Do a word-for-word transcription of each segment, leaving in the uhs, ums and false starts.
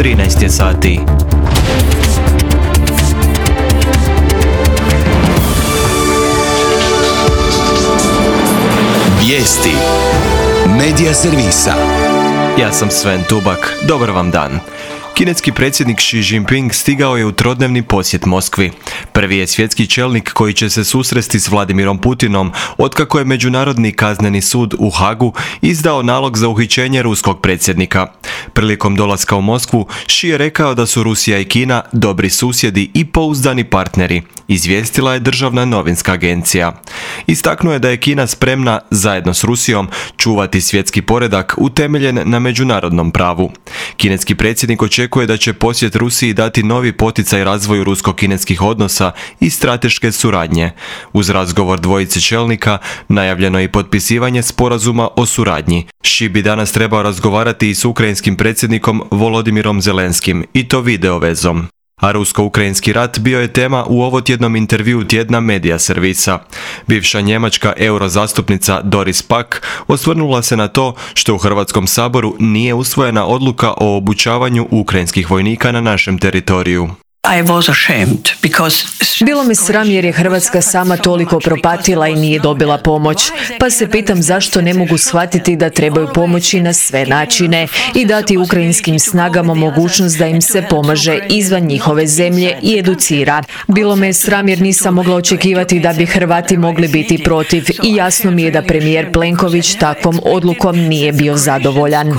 trinaest je sati. Vijesti Medija servisa. Ja sam Sven Tubak. Dobar vam dan. Kineski predsjednik Xi Jinping stigao je u trodnevni posjet Moskvi. Prvi je svjetski čelnik koji će se susresti s Vladimirom Putinom otkako je Međunarodni kazneni sud u Hagu izdao nalog za uhićenje ruskog predsjednika. Prilikom dolaska u Moskvu, Xi je rekao da su Rusija i Kina dobri susjedi i pouzdani partneri, izvijestila je državna novinska agencija. Istaknuo je da je Kina spremna, zajedno s Rusijom, čuvati svjetski poredak utemeljen na međunarodnom pravu. Kineski predsjednik očekuje da će posjet Rusiji dati novi poticaj razvoju rusko-kineskih odnosa i strateške suradnje. Uz razgovor dvojice čelnika najavljeno je i potpisivanje sporazuma o suradnji. Xi bi danas trebao razgovarati i s ukrajinskim predsjednikom Volodimirom Zelenskim, i to video vezom. A rusko-ukrajinski rat bio je tema u ovotjednom intervjuu tjedna Medija servisa. Bivša njemačka eurozastupnica Doris Pack osvrnula se na to što u Hrvatskom saboru nije usvojena odluka o obučavanju ukrajinskih vojnika na našem teritoriju. Bilo me sram jer je Hrvatska sama toliko propatila i nije dobila pomoć, pa se pitam zašto ne mogu shvatiti da trebaju pomoći na sve načine i dati ukrajinskim snagama mogućnost da im se pomaže izvan njihove zemlje i educira. Bilo me sram jer nisam mogla očekivati da bi Hrvati mogli biti protiv i jasno mi je da premijer Plenković takvom odlukom nije bio zadovoljan.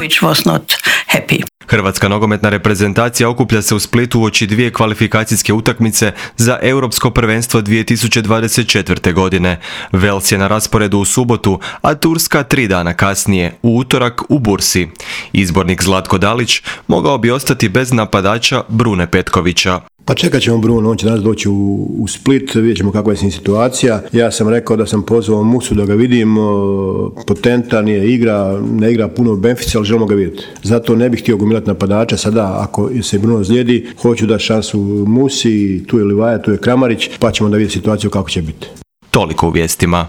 Hrvatska nogometna reprezentacija okuplja se u Splitu uoči dvije kvalifikacijske utakmice za Europsko prvenstvo dvije tisuće dvadeset četvrte. godine. Wales je na rasporedu u subotu, a Turska tri dana kasnije, u utorak u Bursi. Izbornik Zlatko Dalić mogao bi ostati bez napadača Brune Petkovića. Pa čekat ćemo Bruno, on će danas doći u, u Split, vidjet ćemo kakva je s njim situacija. Ja sam rekao da sam pozvao Musu da ga vidim, potentan je, igra, ne igra puno u Benfici, ali želimo ga vidjeti. Zato ne bih htio gomilati napadača, sada ako se Bruno zlijedi, hoću da šansu Musi, tu je Livaja, tu je Kramarić, pa ćemo da vidjeti situaciju kako će biti. Toliko u vijestima.